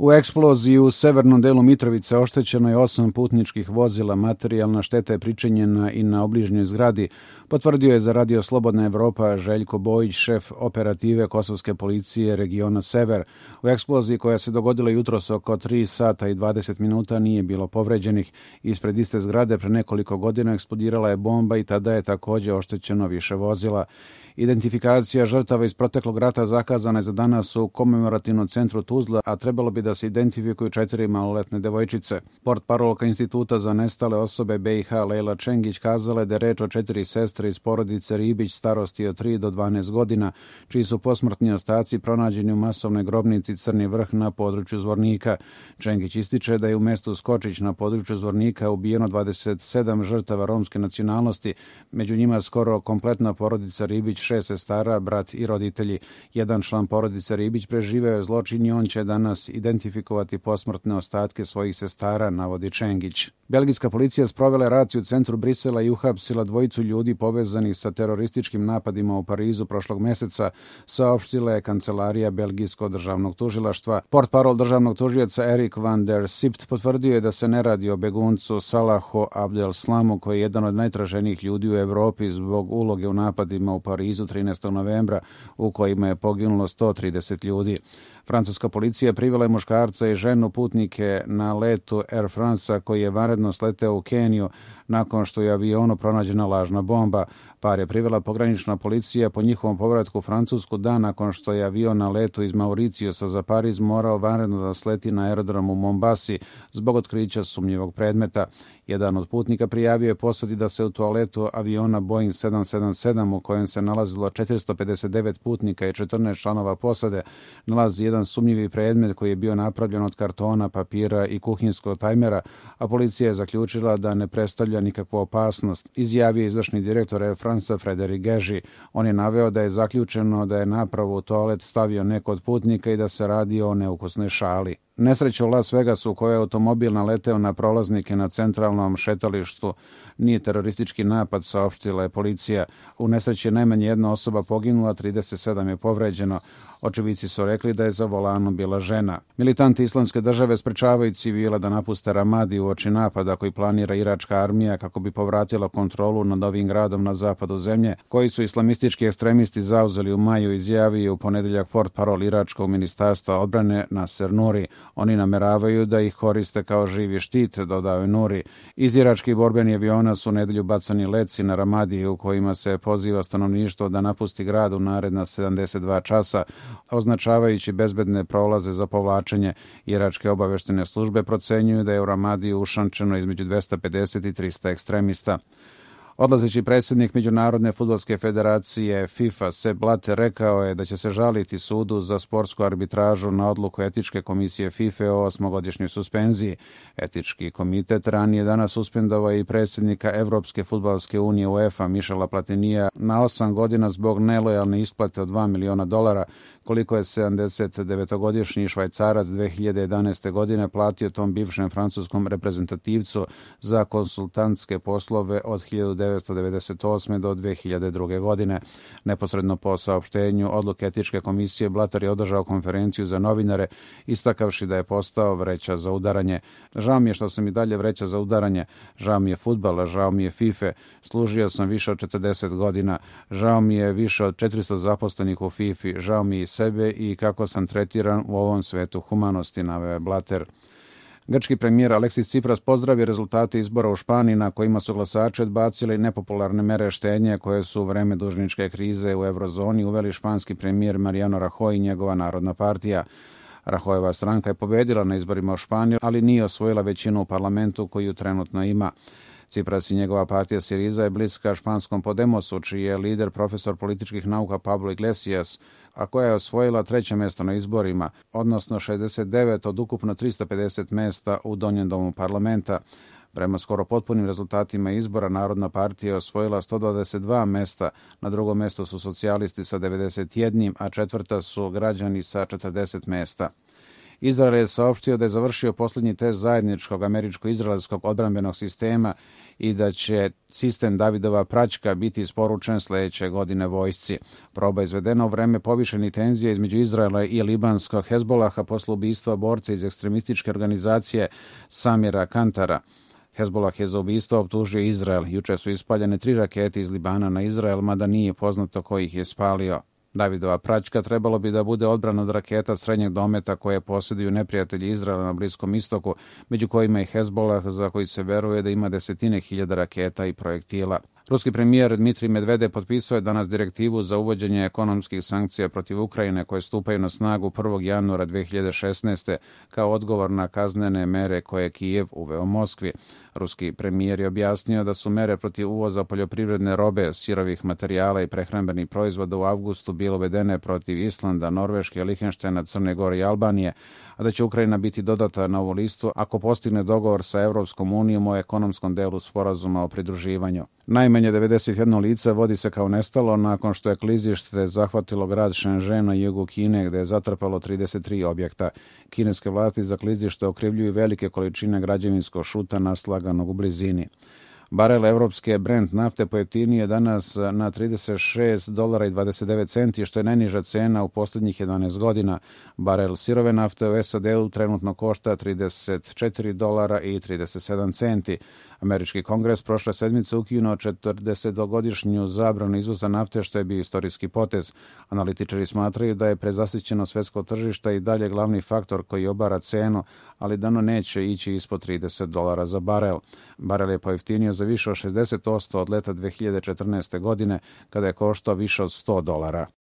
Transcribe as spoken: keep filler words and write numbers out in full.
U eksploziji u severnom delu Mitrovice oštećeno je osam putničkih vozila, materijalna šteta je pričinjena i na obližnjoj zgradi, potvrdio je za Radio Slobodna Evropa Željko Bojić, šef operative kosovske policije regiona Sever. U eksploziji koja se dogodila jutros oko tri sata i dvadeset minuta nije bilo povređenih. Ispred iste zgrade pre nekoliko godina eksplodirala je bomba i tada je također oštećeno više vozila. Identifikacija žrtava iz proteklog rata zakazana je za danas u komemorativnom centru Tuzla, a trebalo bi da se identifikuju četiri maloletne devojčice. Portparolka Instituta za nestale osobe B i H Lejla Čengić kazala je da je reč o četiri sestre iz porodice Ribić starosti od tri do dvanaest godina, čiji su posmrtni ostaci pronađeni u masovnoj grobnici Crni Vrh na području Zvornika. Čengić ističe da je u mestu Skočić na području Zvornika ubijeno dvadeset sedam žrtava romske nacionalnosti, među njima skoro kompletna porodica Ribić, šest sestara, brat i roditelji. Jedan član porodice Ribić preživeo je zločin i on će danas identifikovati posmrtne ostatke svojih sestara, navodi Čengić. Belgijska policija sprovela raciju u centru Brisela i uhapsila dvojicu ljudi povezanih sa terorističkim napadima u Parizu prošlog meseca, saopštila je kancelarija Belgijskog državnog tužilaštva. Portparol državnog tužioca Erik van der Sipt potvrdio je da se ne radi o beguncu Salahu Abdel Slamu, koji je jedan od najtraženijih ljudi u Evropi zbog uloge u napadima u Parizu trinaestog novembra, u kojima je poginulo sto trideset ljudi. Francuska policija privela je muškarca i ženu putnike na letu Air France-a koji je vanredno sleteo u Keniju nakon što je u avionu pronađena lažna bomba. Par je privela pogranična policija po njihovom povratku u Francusku dan nakon što je avion na letu iz Mauricijusa za Pariz morao vanredno da sleti na aerodrom u Mombasi zbog otkrića sumnjivog predmeta. Jedan od putnika prijavio je posadi da se u toaletu aviona Boeing sedam sedam sedam u kojem se nalazilo četiristo pedeset devet putnika i četrnaest članova posade nalazi jedan sumnjivi predmet koji je bio napravljen od kartona, papira i kuhinskog tajmera, a policija je zaključila da ne predstavlja nikakvu opasnost, izjavio izvršni direktor Air France Frederik Geži. On je naveo da je zaključeno da je napravu u toalet stavio neko od putnika i da se radi o neukusnoj šali. Nesreća u Las Vegasu u kojoj je automobil naleteo na prolaznike na centralnom šetalištu nije teroristički napad, saopštila je policija. U nesreći je najmanje jedna osoba poginula, trideset sedam je povređeno. Očevici su rekli da je za volanom bila žena. Militanti Islamske države sprečavaju civile da napuste Ramadi uoči napada koji planira iračka armija kako bi povratila kontrolu nad ovim gradom na zapadu zemlje, koji su islamistički ekstremisti zauzeli u maju, izjavio u ponedeljak portparol iračkog ministarstva odbrane Nasser Nuri. Oni nameravaju da ih koriste kao živi štit, dodao je Nuri. Iz iračkih borbenih aviona su u nedelju bacani leci na Ramadi u kojima se poziva stanovništvo da napusti grad u naredna sedamdeset dva časa, označavajući bezbedne prolaze za povlačenje. Iračke obaveštene službe procenjuju da je u Ramadiju ušančeno između dvesta pedeset i trista ekstremista. Odlazeći predsjednik Međunarodne fudbalske federacije FIFA Sepp Blatter rekao je da će se žaliti sudu za sportsku arbitražu na odluku etičke komisije FIFA o osmogodišnjoj suspenziji. Etički komitet ranije danas suspendovao i predsjednika Evropske fudbalske unije UEFA Michela Platinija na osam godina zbog nelojalne isplate od dva miliona dolara, koliko je sedamdeset devetogodišnji Švajcarac dve hiljade jedanaeste. godine platio tom bivšem francuskom reprezentativcu za konsultantske poslove od hiljadu devetsto devedeset osme. do dve hiljade druge. godine. Neposredno po saopštenju odluke etičke komisije, Blatter je održao konferenciju za novinare, istakavši da je postao vreća za udaranje. Žao mi je što sam i dalje vreća za udaranje, žao mi je fudbala, žao mi je FIFA, služio sam više od četrdeset godina, žao mi je više od četiristo zaposlenih u FIFA, žao mi je sebe i kako sam tretiran u ovom svetu humanosti, naveo je Blatter. Grčki premijer Aleksis Tsipras pozdravio rezultate izbora u Španiji na kojima su glasači odbacili nepopularne mere štednje koje su u vreme dužničke krize u eurozoni uveli španski premijer Mariano Rajoy i njegova Narodna partija. Rajoyeva stranka je pobedila na izborima u Španiji, ali nije osvojila većinu u parlamentu koju trenutno ima. Tsipras i njegova partija Siriza je bliska španskom Podemosu, čiji je lider profesor političkih nauka Pablo Iglesias, a koja je osvojila treće mjesto na izborima, odnosno šezdeset devet od ukupno trista pedeset mjesta u donjem domu parlamenta. Prema skoro potpunim rezultatima izbora, Narodna partija je osvojila sto dvadeset dva mjesta, na drugom mjestu su socijalisti sa devedeset jedan, a četvrta su građani sa četrdeset mjesta. Izrael je saopštio da je završio posljednji test zajedničkog američko-izraelskog odbrambenog sistema i da će sistem Davidova praćka biti isporučen sljedeće godine vojsci. Proba izvedena u vreme povišenih tenzija između Izraela i libanskog Hezbolaha posle ubistva borca iz ekstremističke organizacije Samira Kantara. Hezbolah je za ubistvo optužio Izrael. Juče su ispaljene tri rakete iz Libana na Izrael, mada nije poznato ko ih je spalio. Davidova praćka trebalo bi da bude odbrana od raketa srednjeg dometa koje posjeduju neprijatelji Izraela na Bliskom istoku, među kojima i Hezbolah, za koji se veruje da ima desetine hiljada raketa i projektila. Ruski premijer Dmitrij Medvedev potpisao je danas direktivu za uvođenje ekonomskih sankcija protiv Ukrajine koje stupaju na snagu prvog januara dve hiljade šesnaeste. kao odgovor na kaznene mere koje je Kijev uveo Moskvi. Ruski premijer je objasnio da su mere protiv uvoza poljoprivredne robe, sirovih materijala i prehrambenih proizvoda u avgustu bile uvedene protiv Islanda, Norveške, Lihtenštajna, Crne Gore i Albanije, a da će Ukrajina biti dodata na ovu listu ako postigne dogovor sa Evropskom unijom o ekonomskom delu sporazuma o pridruživanju. Najmanje devedeset jedno lice vodi se kao nestalo nakon što je klizište zahvatilo grad Shenzhen na jugu Kine, gde je zatrpalo trideset tri objekta. Kineske vlasti za klizište okrivljuju velike količine građevinskog šuta naslaganog u blizini. Barel evropske Brent nafte pojeftinio je danas na trideset šest dolara i dvadeset devet centi, što je najniža cena u posljednjih jedanaest godina. Barel sirove nafte u S A D-u trenutno košta trideset četiri dolara i trideset sedam centi. Američki kongres prošle sedmice ukinuo četrdesetogodišnju zabranu izvoza nafte, što je bio istorijski potez. Analitičari smatraju da je prezasićeno svetsko tržište i dalje glavni faktor koji obara cenu, ali da ono neće ići ispod trideset dolara za barel. Barel je pojeftinio za više od šezdeset posto od leta dve hiljade četrnaeste. godine, kada je koštao više od sto dolara.